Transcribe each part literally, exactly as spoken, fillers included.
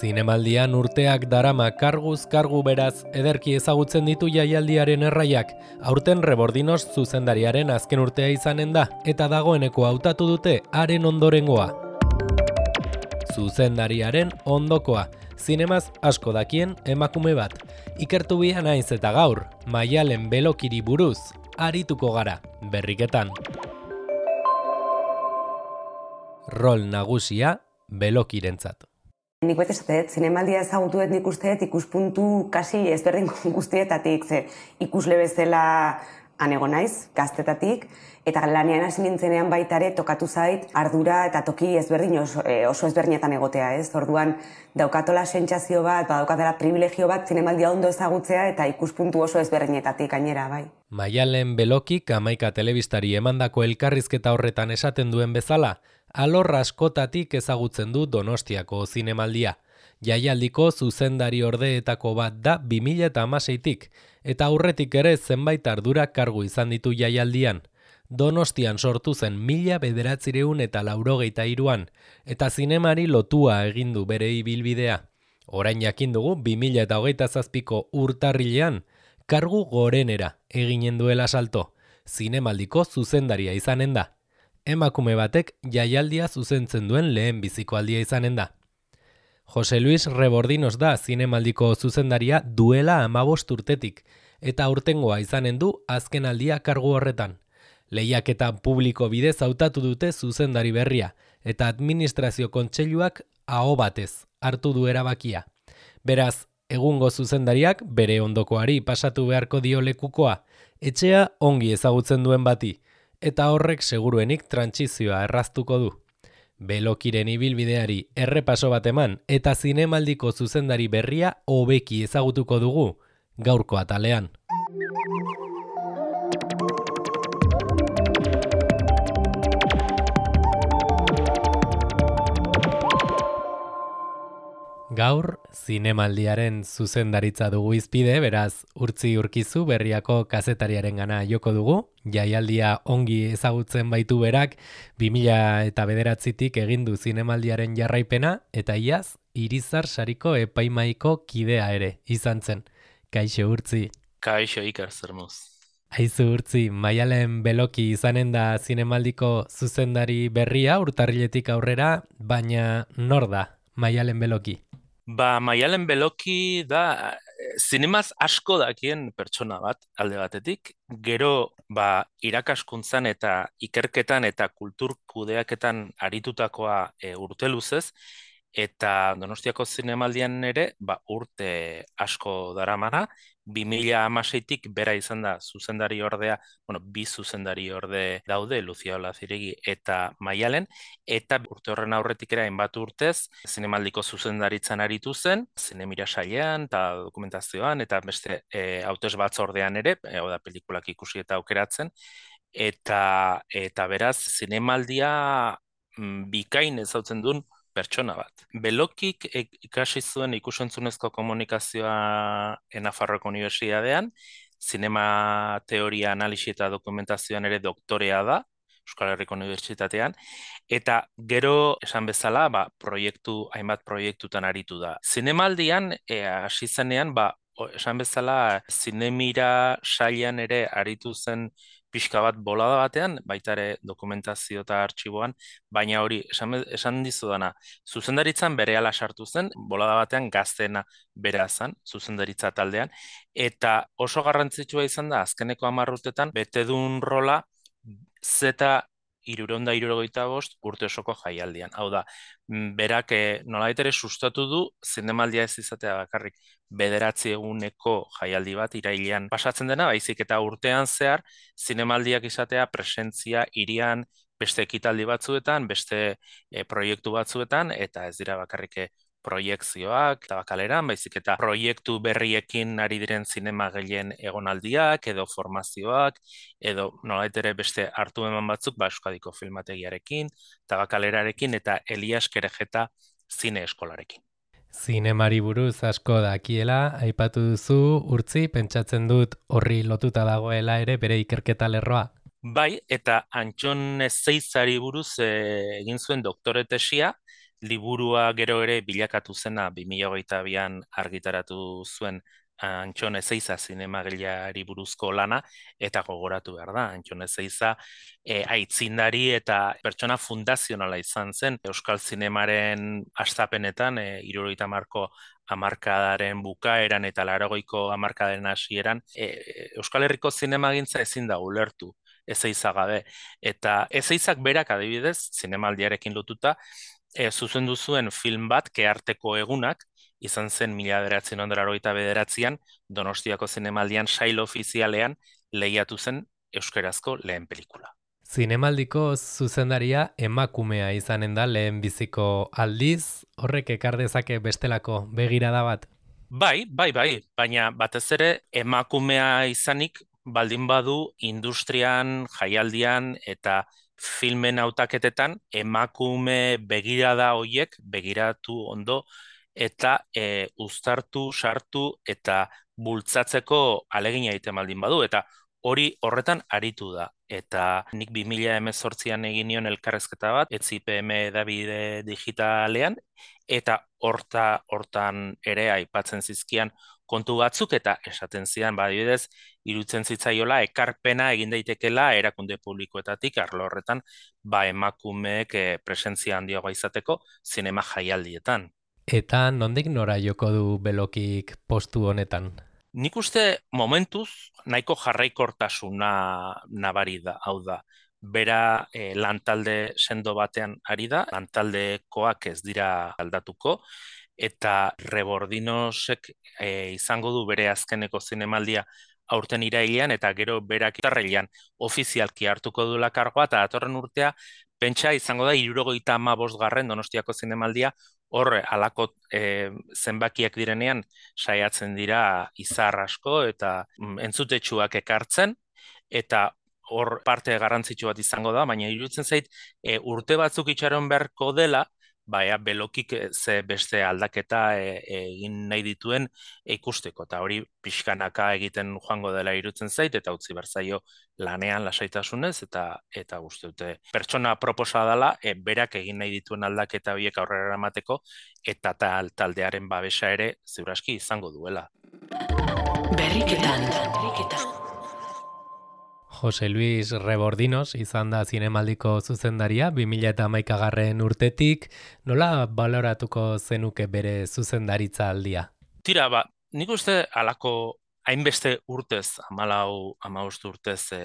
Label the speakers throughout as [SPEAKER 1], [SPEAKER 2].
[SPEAKER 1] Zinemaldian urteak darama karguz kargu beraz ederki ezagutzen ditu jaialdiaren erraiak, aurten Rebordinos zuzendariaren azken urtea izanen da, eta dagoeneko hautatu dute haren ondorengoa. Zuzendariaren ondokoa, zinemaz asko dakien emakume bat. Ikertu bia naiz eta gaur, Maialen Belokiri buruz, arituko gara, berriketan. Rol nagusia Belokirentzat.
[SPEAKER 2] Nik bete esatet, zinemaldia ezagutu dut nik usteet ikuspuntu kasi ezberdin guztietatik, ze ikusle bezala anego naiz, gaztetatik, eta lanean hasi nintzenean baita ere tokatu zait ardura eta toki ezberdin oso, oso ezberdinetan egotea, ez? Orduan daukatola sentsazio bat, daukatela privilegio bat zinemaldia ondo ezagutzea eta ikuspuntu oso ezberdinetatik gainera, bai.
[SPEAKER 1] Maialen Belokik hamaika telebistari emandako elkarrizketa horretan esaten duen bezala, alor askotatik ezagutzen du Donostiako zinemaldia. Jaialdiko zuzendari ordeetako bat da bi mila hamaseitik, eta aurretik ere zenbait ardura kargu izan ditu jaialdian. Donostian sortu zen mila bederatziehun eta laurogeita hiruan, eta zinemari lotua egin du bere ibilbidea. Orain jakin dugu bi mila hogeita zazpiko urtarrilean, kargu gorenera eginen duela salto. Zinemaldiko zuzendaria izanen da. Emakume batek jaialdia zuzentzen duen lehen biziko aldia izanen da. Jose Luis Rebordinos da zinemaldiko zuzendaria duela hamabost urtetik, eta aurtengoa izanen du azken aldia kargu horretan. Lehiaketa publiko bidez hautatu dute zuzendari berria, eta administrazio kontseiluak aho batez hartu du erabakia. Beraz, egungo zuzendariak bere ondokoari pasatu beharko dio lekukoa, etxea ongi ezagutzen duen bati, eta horrek seguruenik trantsizioa erraztuko du. Belokiren ibilbideari errepaso bat eman eta zinemaldiko zuzendari berria hobeki ezagutuko dugu gaurko atalean. Gaur, zinemaldiaren zuzendaritza dugu izpide, beraz, Urtzi Urkizu berriako kazetariaren gana joko dugu. Jaialdia ongi ezagutzen baitu berak, bi mila bederatzitik egin du zinemaldiaren jarraipena, eta iaz, Irizar sariko epaimaiko kidea ere izan zen. Kaixo, Urtzi.
[SPEAKER 3] Kaixo, Iker, zer moz.
[SPEAKER 1] Aizu, Urtzi, Maialen Beloki izanen da zinemaldiko zuzendari berria, urtarriletik aurrera, baina nor da Maialen Beloki?
[SPEAKER 3] Ba, Maialen Beloki da zinemaz asko dakien pertsona bat alde batetik, gero ba, irakaskuntzan eta ikerketan eta kultur kudeaketan aritutakoa e, urte luzez, eta Donostiako zinemaldian ere ba, urte asko daramana, bi mila hamaseitik bera izan da zuzendari ordea, bueno, bi zuzendari orde daude, Lucia Olaziregi eta Maialen, eta urte horren aurretik ere hainbat urtez, zinemaldiko zuzendaritzan aritu zen, zinemira sailean eta dokumentazioan, eta beste e, hautes batzordean ere, e, oda pelikulak ikusi eta aukeratzen, eta, eta beraz, zinemaldia m, bikain ezautzen duen pertsona bat. Belokik ikasi zuen ikusentzunezko komunikazioa Nafarroako Unibertsitatean, zinema teoria, analisi eta dokumentazioan ere doktorea da, Euskal Herriko Unibertsitatean, eta gero esan bezala, ba, proiektu, hainbat proiektutan aritu da. Zinemaldian, e, hasi zenean, ba, esan bezala, zinemira sailean ere aritu zen pixka bat bolada batean, baita ere dokumentazio eta artxiboan, baina hori, esan, esan dizudana, zuzendaritzan berehala sartu zen, bolada batean gaztena bera zen, zuzendaritza taldean, eta oso garrantzitsua izan da, azkeneko hamar urtetan, bete duen rola, zeta hirurehun eta hirurogeita bost urte osoko jaialdian. Hau da, berak eh, nolabait ere sustatu du zinemaldia ez izatea bakarrik bederatzi eguneko jaialdi bat irailean pasatzen dena, baizik eta urtean zehar zinemaldiak izatea presentzia hirian beste ekitaldi batzuetan, beste eh, proiektu batzuetan, eta ez dira bakarrik proiekzioak eta bakaleran, baizik eta proiektu berriekin ari diren zinema gehien egonaldiak, edo formazioak, edo nolabait ere beste hartu eman batzuk, ba, Euskadiko filmategiarekin, eta bakalerarekin, eta Elias Kerejeta zine eskolarekin.
[SPEAKER 1] Zinemari buruz asko dakiela, aipatu duzu, Urtzi, pentsatzen dut horri lotuta dagoela ere bere ikerketa lerroa.
[SPEAKER 3] Bai, eta Antxon Zeizari buruz e, egin zuen doktore tesia, liburua gero ere bilakatu zena bi mila hogeita bian argitaratu zuen Antxon Ezeiza zinemagileari buruzko lana, eta gogoratu behar da, Antxon Ezeiza e, aitzindari eta pertsona fundazionala izan zen Euskal Zinemaren hastapenetan, e, hirurogeita hamarko hamarkadaren bukaeran eta laurogeiko hamarkadaren hasieran, e, Euskal Herriko zinemagintza ezin da ulertu Ezeiza gabe, eta Ezeizak berak adibidez, zinemaldiarekin lotuta, e, zuzendu zuen film bat, Kearteko egunak, izan zen mila bederatziehun eta laurogeita bederatzian Donostiako zinemaldian sail ofizialean lehiatu zen euskarazko lehen pelikula.
[SPEAKER 1] Zinemaldiko zuzendaria emakumea izanen da lehen biziko aldiz, horrek ekar dezake bestelako begirada bat?
[SPEAKER 3] Bai, bai, bai, baina batez ere emakumea izanik baldin badu industrian, jaialdian eta filmen hautaketetan emakume begirada hoiek begiratu ondo eta e, uztartu, sartu eta bultzatzeko alegina egiten baldin badu, eta hori horretan aritu da. Eta nik bi mila hemezortzian egin nion elkarrezketa bat, E T Z I P M hedabide digitalean, eta horta hortan ere aipatzen zizkian kontu batzuk, eta esaten zidan, badibidez, irutzen zitzaiola ekarpena egin daitekela erakunde publikoetatik arlo horretan, ba emakumeek e, presentzia handiagoa izateko zinema jaialdietan.
[SPEAKER 1] Eta nondik nora joko du Belokik postu honetan?
[SPEAKER 3] Nik uste momentuz nahiko jarraikortasuna nabari da, hau da. Bera e, lantalde sendo batean ari da, lantaldekoak ez dira aldatuko, eta Rebordinosek e, izango du bere azkeneko zinemaldia aurten irailean, eta gero berak urtarrilean ofizialki hartuko duela kargoa, eta datorren urtea pentsa izango da hirurogeita hamabostgarren Donostiako zinemaldia, hor halako e, zenbakiak direnean saiatzen dira izar asko eta mm, entzutetsuak ekartzen, eta hor parte garrantzitsu bat izango da, baina iruditzen zait e, urte batzuk itxaron beharko dela, baina Belokik ze beste aldaketa e, egin nahi dituen e, ikusteko, eta hori pixkanaka egiten joango dela iruditzen zait, eta utzi berzaio lanean lasaitasunez, eta eta uste dute pertsona proposa dela, e, berak egin nahi dituen aldaketa horiek aurrera eramateko, eta tal, taldearen babesa ere ziuraski izango duela.
[SPEAKER 1] Berriketan, berriketan. Jose Luis Rebordinos izan da zinemaldiko zuzendaria bi mila hamaikagarren urtetik, nola baloratuko zenuke bere zuzendaritza aldia?
[SPEAKER 3] Tira, ba, nik uste halako hainbeste urtez, hamalau, hamabost urtez e,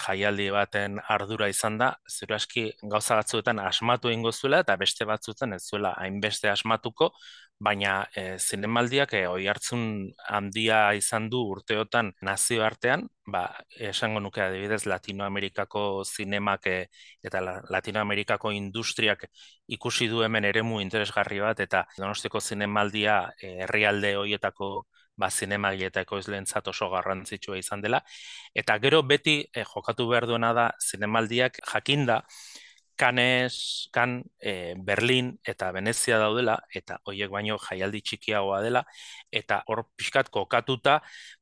[SPEAKER 3] jaialdi baten ardura izan da, ziuraski gauza batzuetan asmatu egingo zuela, eta beste batzuetan ez zuela hainbeste asmatuko, baina e, zinemaldiak e, oihartzun handia izan du urteotan nazioartean, ba, esango nuke adibidez Latinoamerikako zinemak e, eta la, Latinoamerikako industriak ikusi du hemen eremu interesgarri bat, eta Donostiako zinemaldia e, herrialde hoietako ba, zinemagile eta ekoizleentzat oso garrantzitsua izan dela, eta gero beti e, jokatu behar duena da zinemaldiak jakinda, Cannes, Cannes, e, Berlin eta Venezia daudela, eta hoiek baino jaialdi txikiagoa dela, eta hor pixkat kokatuta,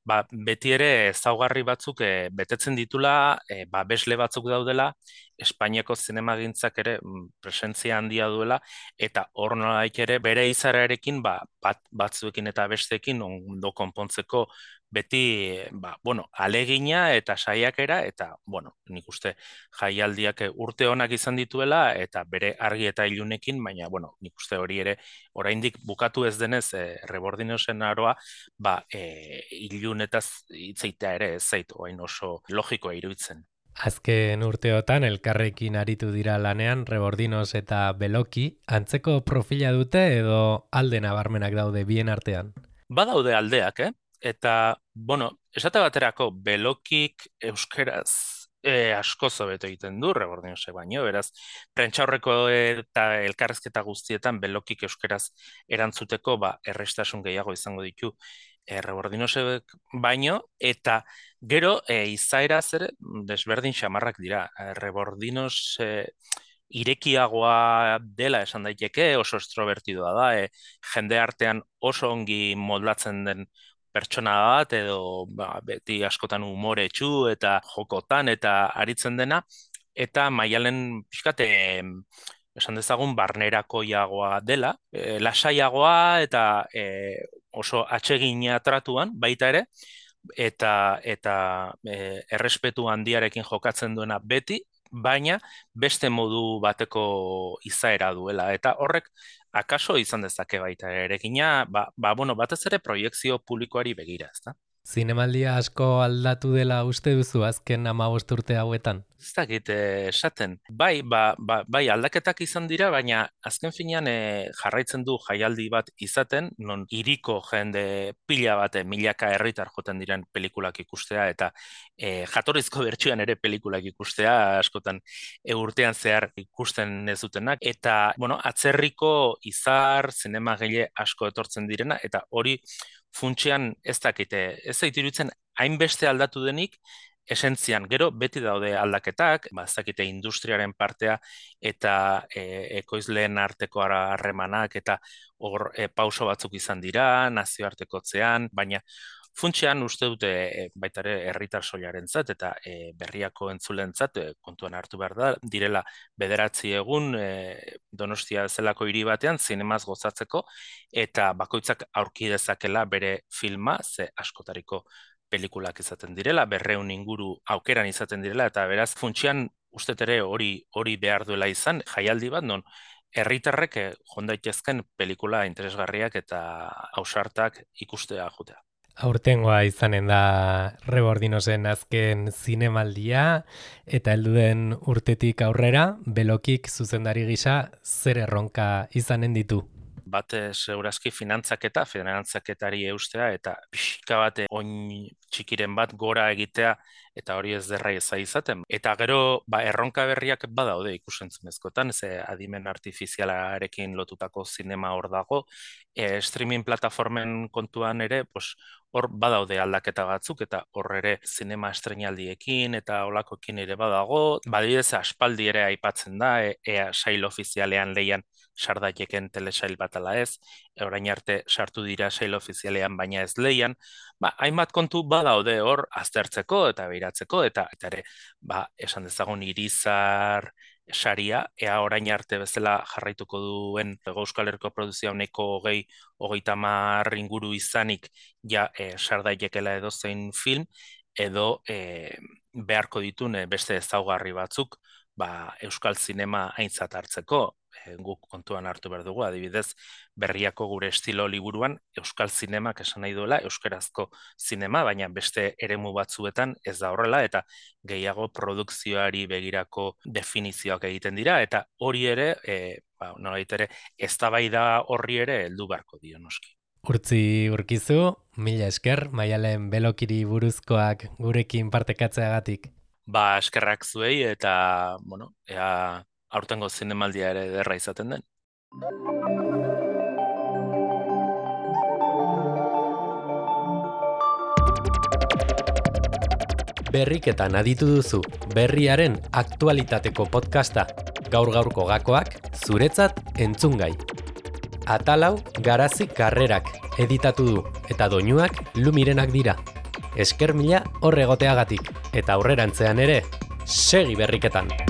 [SPEAKER 3] ba, beti ere ezaugarri batzuk e, betetzen ditula, e, ba, besle batzuk daudela, Espainiako zinemagintzak ere presentzia handia duela, eta hor nolaik ere bere izararekin ba, bat, batzuekin eta besteekin ondo konpontzeko beti, ba, bueno, alegina eta saiakera, eta, bueno, nik uste jaialdiak urte onak izan dituela, eta bere argi eta ilunekin, baina, bueno, nik uste hori ere, oraindik bukatu ez denez, e, Rebordinosen aroa, ba, e, ilunetaz hitzeitea ere ez zait, orain oso logikoa iruditzen.
[SPEAKER 1] Azken urteotan elkarrekin aritu dira lanean Rebordinos eta Beloki, antzeko profila dute edo alde nabarmenak daude bien artean?
[SPEAKER 3] Badaude aldeak, eh? Eta, bueno, esate baterako Belokik euskeraz e, asko zobeto egiten du Rebordinosek baino, beraz, prentxaurreko eta elkarrezketa guztietan Belokik euskeraz erantzuteko ba, errestasun gehiago izango ditu e, Rebordinosek baino, eta gero e, izaeraz ere desberdin xamarrak dira. E, Rebordinos e, irekiagoa dela esan daiteke, oso extrovertidoa da, e, jende artean oso ongi moldatzen den pertsona bat, edo ba, beti askotan umoretsu eta jokotan eta aritzen dena, eta Maialen pixkat esan dezagun, barnerakoiagoa dela, e, lasaiagoa eta e, oso atsegina tratuan baita ere, eta eta e, errespetu handiarekin jokatzen duena beti, baina beste modu bateko izaera duela, eta horrek akaso izan dezake baita erekina, ba, ba bueno, batez ere proiekzio publikoari begira, ezta?
[SPEAKER 1] Zinemaldia asko aldatu dela uste duzu azken hamabost urte hauetan?
[SPEAKER 3] Ez dakit esaten. Bai, ba, ba, bai aldaketak izan dira, baina azken finean e, jarraitzen du jaialdi bat izaten, non hiriko jende pila bat, milaka herritar joten diren pelikulak ikustea, eta e, jatorrizko bertsioan ere pelikulak ikustea, askotan e, urtean zehar ikusten ez dutenak, eta, bueno, atzerriko izar, zinemagile asko etortzen direna, eta hori funtsean ez dakite, ez zait iruditzen hainbeste aldatu denik, esentzian, gero beti daude aldaketak, ba, ez dakite industriaren partea eta e, ekoizleen arteko harremanak eta hor e, pauso batzuk izan dira, nazioartekotzean, baina funtsean uste dute e, baita ere herritar soilarentzat eta e, berriako entzulentzat e, kontuan hartu behar da, direla bederatzi egun e, Donostia zelako hiri batean zinemaz gozatzeko eta bakoitzak aurki dezakela bere filma, ze askotariko pelikulak izaten direla, berreun inguru aukeran izaten direla, eta beraz funtsian ustet ere hori hori behar duela izan, jaialdi bat, non herritarrek jondaitezken pelikula interesgarriak eta ausartak ikustea jutea.
[SPEAKER 1] Aurtengoa izanen da Rebordinosen azken zinemaldia, eta heldu den urtetik aurrera, Belokik zuzendari gisa zer erronka izanen ditu?
[SPEAKER 3] Bate segurazki finantzaketa, finantzaketari eustea, eta pixka bate oin txikiren bat gora egitea, eta hori ez derra eza izaten. Eta gero, ba, erronka berriak badaude ikusentzunezkotan, ze adimen artifizialarekin lotutako zinema hor dago, e, streaming plataformen kontuan ere, pues, hor badaude aldaketa batzuk, eta hor ere zinema estrenaldiekin eta olakoekin ere badago. Badidez, aspaldi ere aipatzen da, e, ea sail ofizialean leian sardaiteken telesail bat ala ez, orain arte sartu dira sail ofizialean baina ez leian, ba, hainbat kontu badaude hor aztertzeko eta beiratzeko, eta, eta ere, ba, esan dezagun Irizar saria, ea orain arte bezala jarraituko duen Euskal Herriko produzioa honeko hogei, hogeita hamar inguru izanik ja e, sardaitekela edozein film, edo e, beharko ditun beste ezaugarri batzuk, ba, euskal zinema aintzat hartzeko, e, guk kontuan hartu behar dugu, adibidez, berriako gure estilo liburuan, euskal zinemak esan nahi duela, euskarazko zinema, baina beste eremu batzuetan ez da horrela, eta gehiago produkzioari begirako definizioak egiten dira, eta hori ere, e, ba, nolabait ere, eztabaida horri ere heldu beharko dio noski.
[SPEAKER 1] Urtzi Urkizu, mila esker, Maialen Belokiri buruzkoak gurekin partekatzeagatik.
[SPEAKER 3] Ba, eskerrak zuei eta, bueno, ea aurtengo zinemaldia ere derra izaten den.
[SPEAKER 1] Berriketan aditu duzu, berriaren aktualitateko podcasta. Gaur-gaurko gakoak, zuretzat entzungai. Atalau Garazi Karrerak editatu du, eta doinuak Lumirenak dira. Esker mila horregoteagatik, eta aurrerantzean ere, segi berriketan!